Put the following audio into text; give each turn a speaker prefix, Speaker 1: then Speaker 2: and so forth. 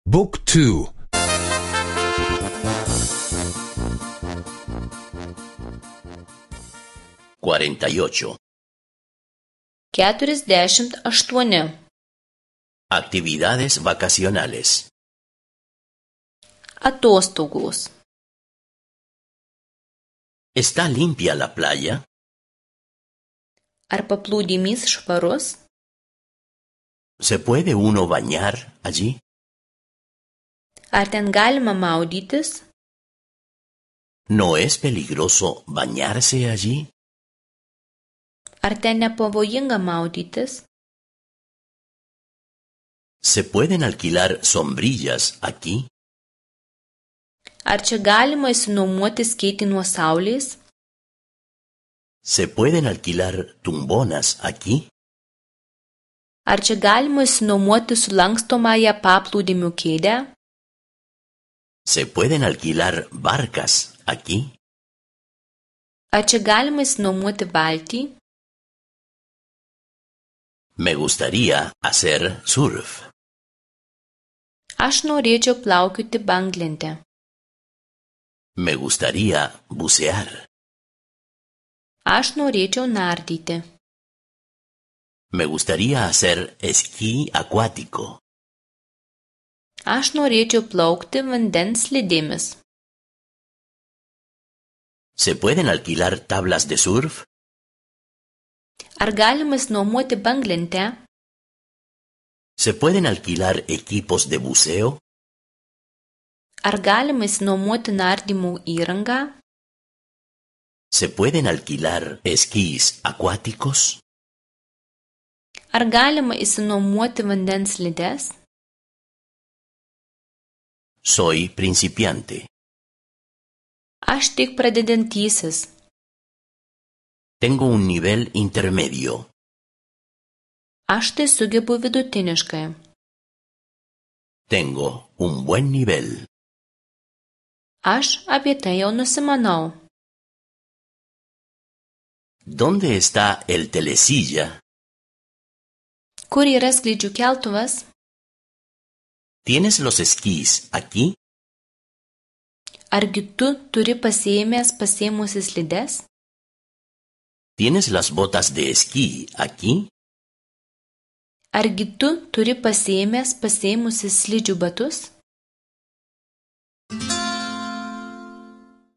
Speaker 1: Book 2.
Speaker 2: 48.
Speaker 3: 48.
Speaker 2: Actividades vacacionales.
Speaker 3: Atostogos.
Speaker 2: ¿Está limpia la playa?
Speaker 3: Ar paplūdimys švarus?
Speaker 2: ¿Se puede uno bañar allí?
Speaker 3: Ar ten galima maudytis?
Speaker 2: ¿No es peligroso bañarse allí?
Speaker 3: Ar ten nepavojinga maudytis?
Speaker 2: ¿Se pueden alquilar sombrillas aquí?
Speaker 3: Ar čia galima išsinuomoti skėtį nuo saulės?
Speaker 2: ¿Se pueden alquilar tumbonas aquí?
Speaker 3: Ar čia galima išsinuomoti sulankstomąją paplūdimio kėdę?
Speaker 2: ¿Se pueden alquilar barcas aquí?
Speaker 3: Ar čia galima išsinuomoti valtį?
Speaker 2: Me gustaría hacer surf.
Speaker 3: Aš norėčiau plaukioti banglente.
Speaker 2: Me gustaría bucear.
Speaker 3: Aš norėčiau nardyti.
Speaker 2: Me gustaría hacer esquí acuático.
Speaker 3: Aš norėčiau plaukti vandens slidėmis.
Speaker 2: ¿Se pueden alquilar tablas de surf?
Speaker 3: Ar galima išsinuomoti banglentę?
Speaker 2: ¿Se pueden alquilar equipos de buceo?
Speaker 3: Ar galima išsinuomoti nardymo įrangą?
Speaker 2: ¿Se pueden alquilar esquís acuáticos?
Speaker 3: Ar galima išsinuomoti vandens slides?
Speaker 2: Soy principiante.
Speaker 3: Aš tik pradedantysis.
Speaker 2: Tengo un nivel intermedio.
Speaker 3: Aš tai sugebu vidutiniškai.
Speaker 2: Tengo un buen nivel.
Speaker 3: Aš apie tai jau nusimanau.
Speaker 2: ¿Dónde está el telesilla?
Speaker 3: Kur yra skrydžių keltuvas?
Speaker 2: ¿Tienes los esquís aquí?
Speaker 3: Argi tu turi pasiėmusi slides?
Speaker 2: ¿Tienes las botas de esquí aquí?
Speaker 3: Argi tu turi pasiėmusi slidžių batus?